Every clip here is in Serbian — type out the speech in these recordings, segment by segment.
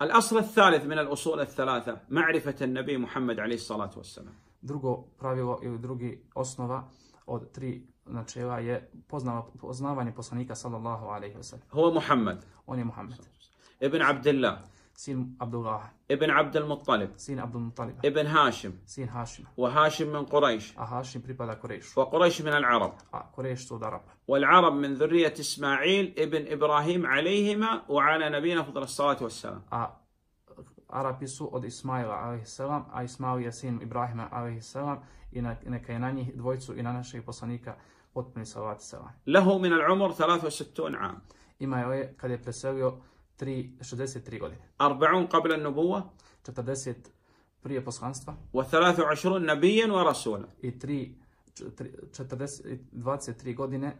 الأصل الثالث من الأصول الثلاثة معرفة النبي محمد عليه الصلاة والسلام. Drugo pravilo ili drugi osnova od 3 načela je poznavanje poslanika sallallahu alejhi ve sellem. هو محمد. On je Muhammed. ابن عبد الله. Sin Abdullah. ابن عبد المطلب. Sin Abdul Muttalib. ابن هاشم. Sin Hašima. وهاشم من قريش. A Hašim pripada Kurejšu. وقريش من العرب. A Kurejš su od Arapa. والعرب من ذرية إسماعيل ابن إبراهيم عليهما وعلى نبينا فضل الصلاة والسلام. A Arapi su od Ismaila alejselam, a Ismail je sin Ibrahima alejselam i neka je na njih dvojicu i na našeg poslanika potpuni salavat selam. له من العمر 63 عام. Ima je kad je preselio 63 godine. 40 قبل النبوة. 40 prije poslanstva و23 نبيا ورسولا. i 23 godine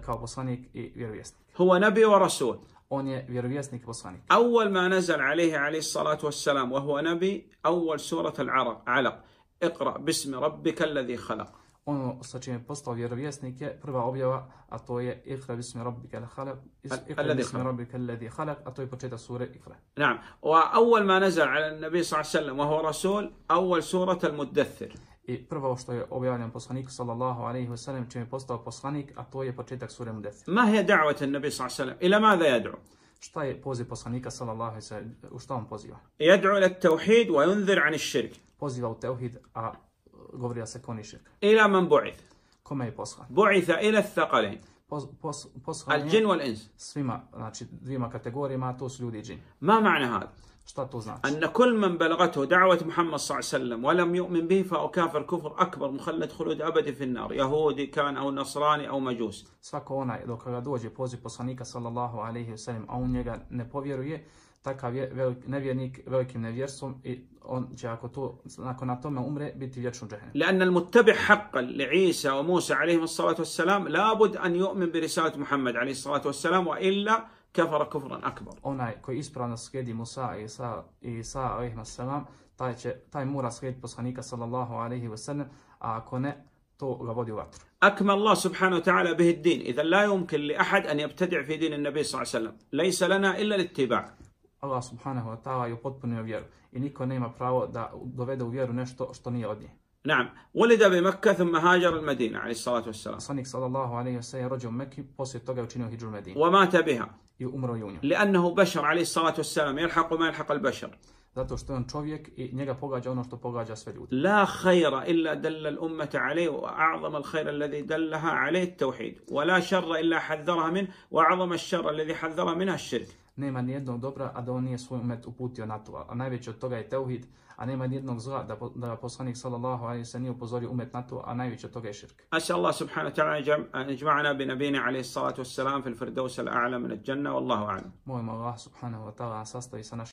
kao poslanik i vjerovjesnik. هو نبي ورسول. On je vjerovjesnik i poslanik. أول ما نزل عليه الصلاة والسلام وهو نبي أول سورة علق اقرأ باسم ربك الذي خلق. Ono sa čim je postao vjerovjesnik je prva objava, a to je Iqra bismi rabbikal khalaq, alladhi khalaq, a to je početak sure Iqra. نعم. وأول ما نزل على النبي صلى الله عليه وسلم وهو رسول أول سورة المدثر. I prvo što je objavljeno poslaniku sallallahu alejhi ve sellem čim je postao poslanik, a to je početak sure Mudaththir. ما هي دعوة النبي صلى الله عليه وسلم؟ إلى ماذا يدعو؟ Šta je poziv poslanika sallallahu alejhi ve sellem? U šta on poziva? يدعو إلى التوحيد وينذر عن الشرك. Poziva u teuhid, a govori da se kloni širka. إلى من بعث؟ Kome je poslan? بعث إلى الثقلين Poslan je الجن والإنس. svima, znači dvima kategorijama, a to su ljudi i džin. ما معنى هذا؟ Šta to znači? أن كل من بلغته دعوة محمد صلى الله عليه وسلم ولم يؤمن به فهو كافر كفر أكبر مخلد خلود أبدي في النار يهودي كان أو نصراني أو مجوس. Svako onaj dok ga dođe poziv poslanika sallallahu alejhi ve sellem, a on njega ne povjeruje, takav je nevjernik velikim nevjerstvom i on će ako to nakon na tome umre biti vječno u džehennemu. لأن المتبع حقا لعيسى وموسى عليهم الصلاة والسلام لابد أن يؤمن برسالة محمد عليه الصلاة والسلام وإلا كفر كفرا أكبر. Onaj koji ispravno slijedi Musa i Isa alejhi selam, taj mora slijediti poslanika sallallahu alejhi ve sellem, a ako ne, to ga vodi u vatru. أكمل الله سبحانه وتعالى به الدين إذا لا يمكن لأحد أن يبتدع في دين النبي صلى الله عليه وسلم ليس لنا إلا الاتباع. Allah subhanahu wa ta'ala je upotpunio vjeru i niko nema pravo da dovede u vjeru nešto što nije od nje. نعم. ولد بمكة ثم هاجر المدينة عليه الصلاة والسلام. Poslanik sallallahu alejhi ve sellem je rođen u Mekki, poslije toga je učinio hidžru u Medinu. ومات بها. I umro je u njoj. لأنه بشر عليه الصلاة والسلام يلحق ما يلحق البشر. Zato što je on čovjek i njega pogađa ono što pogađa sve ljude. لا خير إلا دل الأمة عليه وأعظم الخير الذي دلها عليه التوحيد ولا شر إلا حذرها منه وأعظم الشر الذي حذرها منها الشرك. Nema nijednog dobra, a da on nije svoj umet uputio na to. A najveći od toga je teuhid, a nema nijednog zla da poslanik sallallahu alejhi ve sellem nije upozorio umet na to, a najveći od toga je širk. أسأل الله سبحانه وتعالى أن يجمعنا بنبينا عليه الصلاة والسلام في الفردوس الأعلى من الجنة والله أعلم. Molimo Allah subhanahu wa ta'ala sastavi sa našim